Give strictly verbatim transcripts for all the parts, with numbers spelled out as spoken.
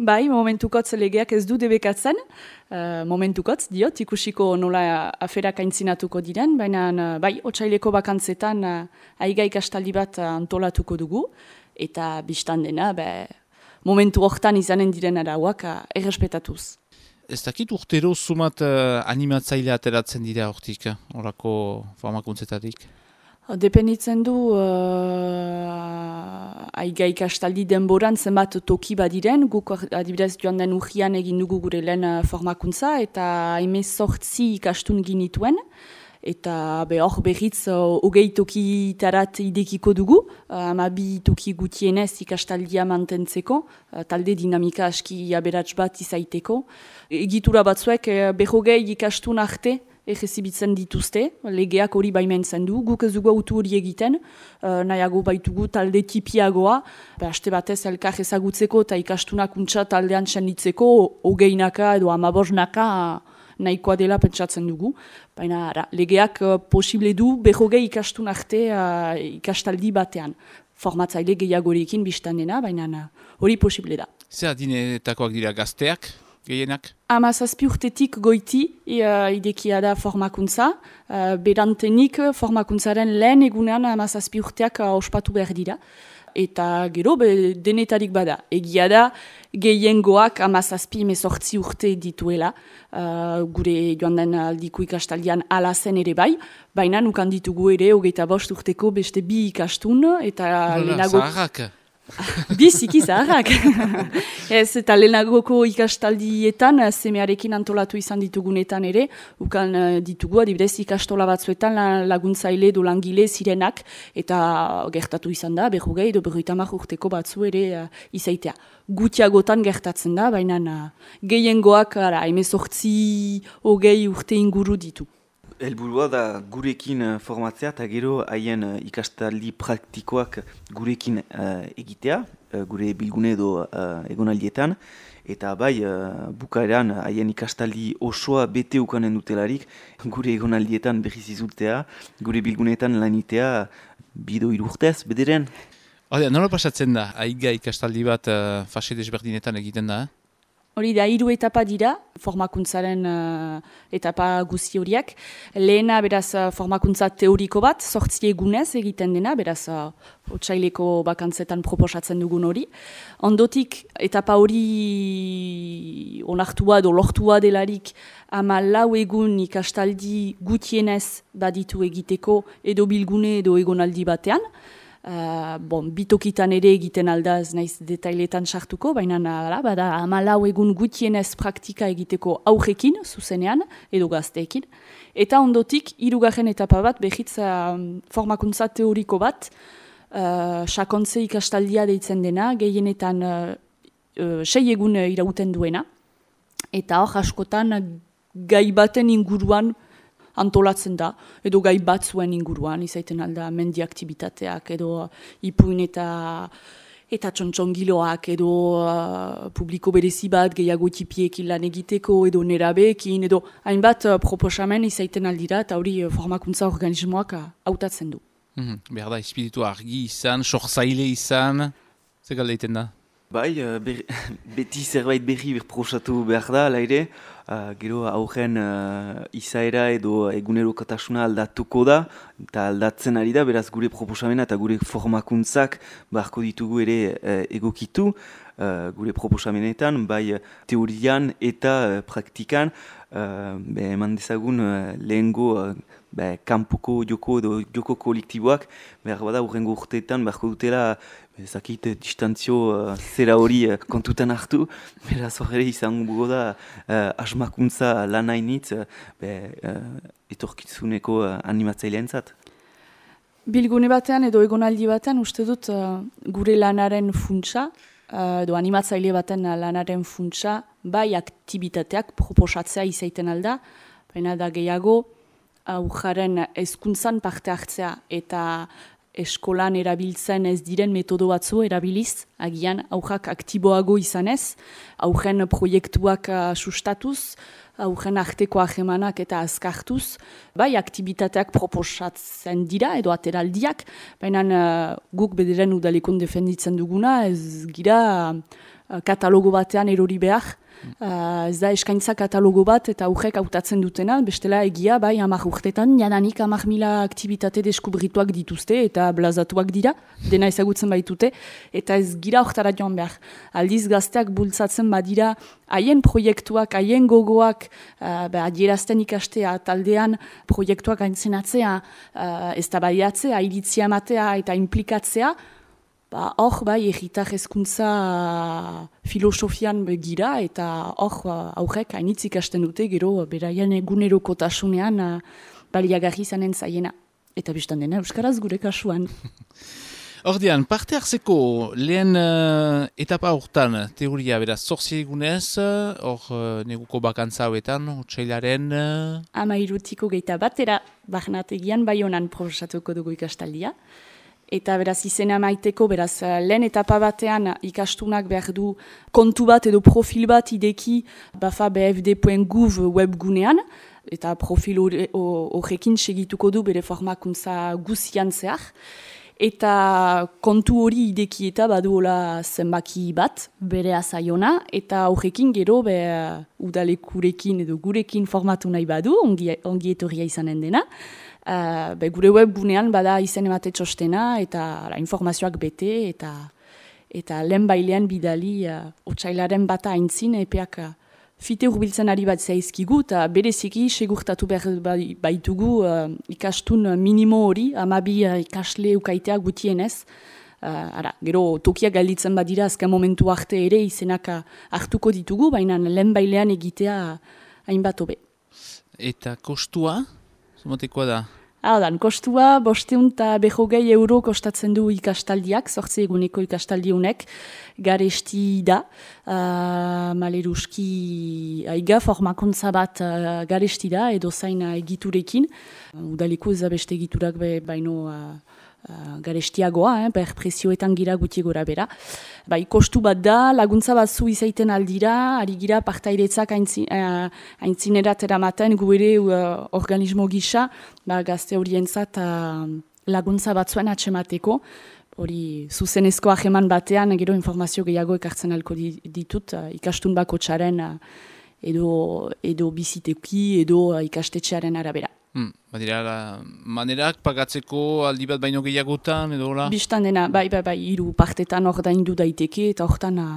Bai, momentukotz legeak ez du debekatzen, uh, momentukotz, diot, ikusiko nola aferak aintzinatuko diren, baina uh, bai, otsaileko bakantzetan uh, aiga ikastaldi bat uh, antolatuko dugu, eta biztan dena, be, momentu hortan izanen diren arauak uh, errespetatuz. Ez dakit urtero sumat uh, animatzaile ateratzen dira hortik, horako formakuntzetatik? Dependitzen du uh, aiga ikastaldi denboran zenbat toki badiren, guk adibidez joan den urrian egin dugu gure lehen formakuntza eta hemezortzi ikastun ginituen. Eta be hor berriz hogei uh, tokitarat idekiko dugu, hamabi uh, toki gutienez ikastaldia mantentzeko, uh, talde dinamika aski aberats bat izaiteko. Egitura batzuek uh, berrogei ikastun arte egezibitzen dituzte, legeak hori baimentzen du, guk ez dugu autu hori egiten, uh, nahiago baitugu talde tipiagoa, haste batez elkar ezagutzeko eta ikastunak untsa taldean senditzeko, hogeinaka edo amabosnaka nahikoa dela pentsatzen dugu. Baina ara, legeak uh, posible du berrogei ikastun arte uh, ikastaldi batean. Formatzaile gehiagorekin biztan dena, baina hori uh, posible da. Zer adinetakoak dira gazteak, gehienak? Hamazazpi urtetik goiti uh, idekia da formakuntza. Uh, berantenik formakuntzaren lehen egunean hamazazpi urteak uh, ospatu behar dira. Eta gero be, denetarik bada. Egia da gehiengoak hamazazpi hemezortzi urte dituela. Uh, gure joan den aldiko ikastaldian ala zen ere bai. Baina nukan ditugu ere hogeita bost urteko beste bi ikastun. Eta lehenago... Zaharrak! Biziki zaharrak. Ez, eta lehenagoko ikastaldietan, semearekin antolatu izan ditugunetan ere, ukan ditugu, adibidez ikastola batzuetan laguntzaile do langile zirenak, eta gertatu izan da, berrogei edo berrogeita hamar urteko batzu ere uh, izaitea. Gutiagotan gertatzen da, baina uh, gehiengoak hemezortzi hogei urte inguru ditu. Helburua da gurekin uh, formatzea eta gero haien uh, ikastaldi praktikoak gurekin uh, egitea, uh, gure bilgune edo uh, egonaldietan, eta bai uh, bukaeran haien ikastaldi osoa bete ukanen dutelarik, gure egonaldietan berriz izultea, gure bilguneetan lanitea bido irurtez, bederen. Hode, nola pasatzen da, aiga ikastaldi bat uh, fase desberdinetan egiten da, eh? Hori da, hiru etapa dira, formakuntzaren uh, etapa guzi horiak. Lehena, beraz, formakuntza teoriko bat, sortzi egunez egiten dena, beraz, uh, otsaileko bakantzetan proposatzen dugun hori. Ondotik, etapa hori onartua edo lortua delarik, ama lau egun ikastaldi gutienez baditu egiteko edo bilgune edo egonaldi batean. Uh, bon, bitokitan ere egiten aldaz naiz detailetan sartuko, baina ala, bada hamalau egun gutienez praktika egiteko aurrekin, zuzenean, edo gazteekin. Eta ondotik, hirugarren etapa bat, behitz uh, formakuntza teoriko bat, uh, sakontze ikastaldia deitzen dena, gehienetan uh, uh, sei egun irauten duena, eta hor askotan gai baten inguruan antolatzen da, edo gai batzuen inguruan, izaiten alda mendi aktibitateak, edo ipuin eta eta txontxongiloak, edo uh, publiko berezi bat, gehiago tipiekin lan egiteko, edo nerabeekin, edo hainbat uh, proposamen izaiten aldira, eta hori uh, formakuntza organismoak uh, hautatzen du. Mm-hmm. Behar da, espiritu argi izan, sortzaile izan, ze galdeiten da? Bai, ber, beti zerbait berri berprosatu behar da, ala ere, uh, gero aurren uh, izaera edo egunerokotasuna aldatuko da, eta aldatzen ari da, beraz gure proposamena eta gure formakuntzak beharko ditugu ere uh, egokitu, uh, gure proposamenetan, bai teorian eta uh, praktikan, uh, be, eman dezagun uh, lehengo uh, be, kanpoko joko edo joko kolektiboak, behar bada urrengo urteetan beharko dutela, ezakit distantzio uh, zera hori uh, kontutan hartu, beraz horre izango bugo da uh, asmakuntza lan hainitz uh, uh, etorkizuneko uh, animatzailean zat. Bilgune batean edo egonaldi batean uste dut uh, gure lanaren funtsa, uh, edo animatzaile baten lanaren funtsa, bai aktibitateak proposatzea izaiten alda, baina da gehiago aurraren hezkuntzan parte hartzea eta eskolan erabiltzen ez diren metodo batzu erabiliz, agian aurrak aktiboago izanez, aurren proiektuak uh, sustatuz, aurren arteko ahemanak eta azkartuz, bai aktibitateak proposatzen dira edo ateraldiak, baina uh, guk bederen udalekon defenditzen duguna, ez gira uh, katalogo batean erori behar. Uh, ez da eskaintza katalogo bat eta aurrek hautatzen dutena, bestela egia bai hamar urtetan, jadanik hamar mila aktibitate deskubrituak dituzte eta blazatuak dira, dena ezagutzen baitute, eta ez gira hortara joan behar. Aldiz gazteak bultzatzen badira haien proiektuak, haien gogoak, uh, adierazten ikastea, taldean proiektuak aintzenatzea, uh, ez da baiatzea, iritzia ematea eta implikatzea, Ba, hor, bai, egitar hezkuntza filosofian gira, eta hor, aurrek hainitz ikasten dute, gero, beraien egunerokotasunean baliagarri izanen zaiena. Eta biztan dena, euskaraz gure kasuan. Ordean, parte hartzeko lehen uh, etapa hortan, teoria, beraz, zorzi egunez, hor uh, neguko bakantza hauetan, otsailaren... Uh... Ama irutiko geita batera, barnategian bai honan proposatuko dugu ikastaldia. Eta beraz izena maiteko, beraz lehen etapa batean ikastunak behar du kontu bat edo profil bat ideki bafa b f d puntu gouv webgunean, eta profil horrekin segituko du bere formakuntza guzian zehar. Eta kontu hori ideki eta baduola zenbaki bat, bere azaiona, eta horrekin gero be, udalekurekin edo gurekin formatu nahi badu, ongi, ongi etorria izanen dena. Uh, be, gure webgunean bada izen emate txostena eta la, informazioak bete eta eta lehen bailean bidali uh, otsailaren bata aintzin epeak uh, fite urbiltzen ari bat zaizkigu eta bereziki segurtatu behar baitugu uh, ikastun minimo hori, amabi uh, ikasle ukaitea gutienez. Uh, ara, gero tokiak galditzen badira azken momentu arte ere izenak uh, hartuko ditugu, baina lehen bailean egitea uh, hainbat hobe. Eta kostua? Zumatekoa da? Haudan, kostua bosteun eta behogei euro kostatzen du ikastaldiak, zortzi eguneko ikastaldiunek, garesti da, uh, maleruski aiga formakuntza bat uh, garesti da, edo zain egiturekin. Uh, Udaliko ez beste egiturak be, baino uh, uh, garestiagoa, eh, ber prezioetan gira guti gora bera. Bai, kostu bat da, laguntza batzu izaiten aldira, ari gira partairetzak aintzin, uh, aintzinerat eramaten gu ere uh, organismo gisa, ba, gazte horientzat uh, laguntza batzuen atxemateko, hori zuzenezko aheman batean, gero informazio gehiago ekartzen alko ditut, uh, ikastun bako txaren uh, edo, edo biziteki, edo uh, ikastetxearen arabera. Hmm, badira, manerak pagatzeko aldi bat baino gehiagotan, edo hola? Bistan dena, bai, bai, bai, hiru partetan ordaindu daiteke, eta hortan uh,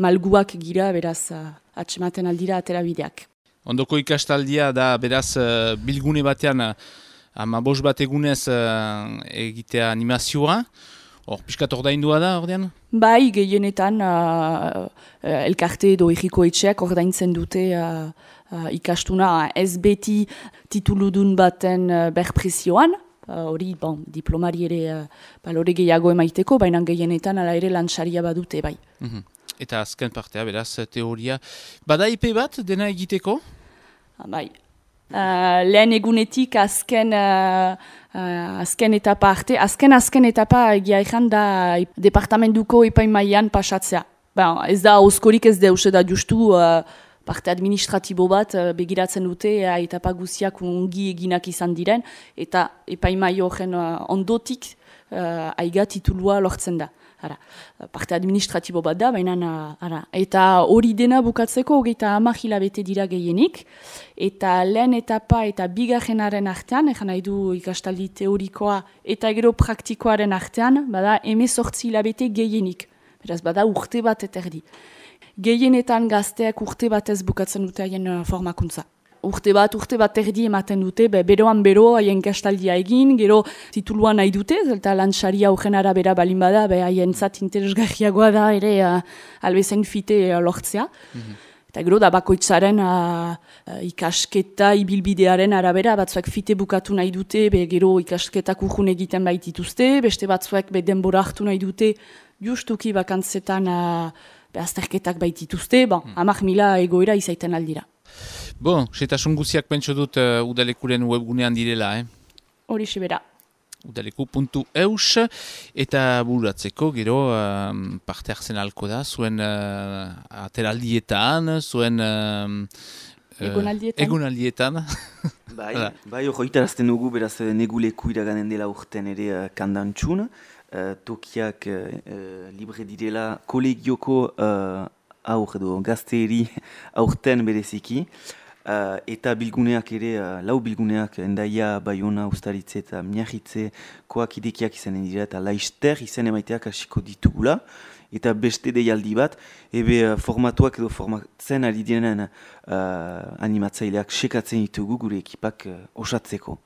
malguak gira, beraz, uh, atxematen aldira aterabideak. Ondoko ikastaldia da, beraz, uh, bilgune batean, uh, ama bos bat egunez uh, egitea animazioa, hor, piskat ordaindua da, ordean? Bai, gehienetan, uh, uh, elkarte edo egiko etxeak ordaintzen dute uh, Uh, ikastuna ez beti tituludun baten uh, berprezioan, hori uh, bon, diplomari ere uh, balore gehiago emaiteko, baina gehienetan ala ere lantsaria badute bai. Mm-hmm. Eta azken partea, beraz, teoria. Bada I P bat dena egiteko? Ah, bai. Uh, lehen egunetik azken, uh, uh, azken etapa arte, azken azken etapa egia ezan da departamentuko epaimaian pasatzea. Ben, ez da oskorik ez deus da justu uh, parte administratibo bat uh, begiratzen dute uh, etapa guziak ongi eginak izan diren, eta epaimai horren uh, ondotik uh, aiga titulua lortzen da. Ara, parte administratibo bat da, baina ara. Eta hori dena bukatzeko hogeita hamar hilabete dira gehienik, eta lehen etapa eta bigarrenaren artean, egan nahi du ikastaldi teorikoa eta gero praktikoaren artean, bada hemezortzi hilabete gehienik. Beraz, bada urte bat eterdi. Gehienetan gazteak urte batez bukatzen dute haien uh, formakuntza. Urte bat, urte bat erdi ematen dute, be, beroan bero haien kastaldia egin, gero tituluan nahi dute, eta lantsaria horren arabera balin bada, be haien zat interesgarriagoa da ere uh, albezain fite uh, lortzea. Mm-hmm. Eta gero da bakoitzaren uh, uh, ikasketa ibilbidearen arabera, batzuek fite bukatu nahi dute, be, gero ikasketak urrun egiten baitituzte, beste batzuek be, denbora hartu nahi dute, justuki bakantzetan uh, azterketak baitituzte, bon, hmm. amak mila egoera izaiten aldira. Bon, setasun guziak pentso dut uh, udalekuren webgunean direla, eh? Hori sebera. udaleku puntu eus eta buratzeko gero um, parte hartzen alko da, zuen uh, ateraldietan, zuen... Um, Egonaldietan. Egonaldietan. Bai, bai hori itarazten dugu, beraz neguleku iraganen dela urten ere uh, kandantxun. Uh, tokiak uh, uh, libre direla kolegioko uh, aur edo gazteeri aurten bereziki. Uh, eta bilguneak ere, uh, lau bilguneak, Endaia, Baiona, Ustaritze eta Miarritze koak idekiak izanen dira eta Laister izen emaiteak hasiko ditugula. Eta beste deialdi bat, ebe uh, formatuak edo formatzen ari direnen uh, animatzaileak sekatzen ditugu gure ekipak uh, osatzeko.